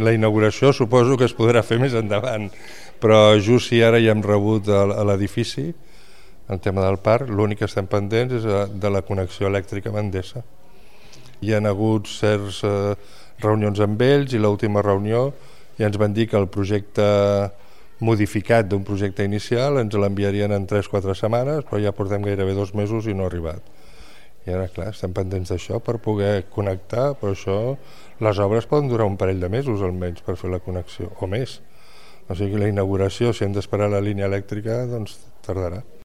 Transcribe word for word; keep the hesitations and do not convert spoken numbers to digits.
la inauguració suposo que es podrà fer més endavant, però just si ara ja hem rebut a l'edifici el tema del parc, l'únic que estem pendents és de la connexió elèctrica amb Endesa. Hi ha hagut certs eh, reunions amb ells i l'última reunió ja ens van dir que el projecte modificat d'un projecte inicial ens l'enviarien en tres o quatre setmanes, però ja portem gairebé dos mesos i no ha arribat. I ara, clar, estem pendents d'això per poder connectar, però això, les obres poden durar un parell de mesos almenys per fer la connexió, o més. O sigui, la inauguració, si hem d'esperar la línia elèctrica, doncs tardarà.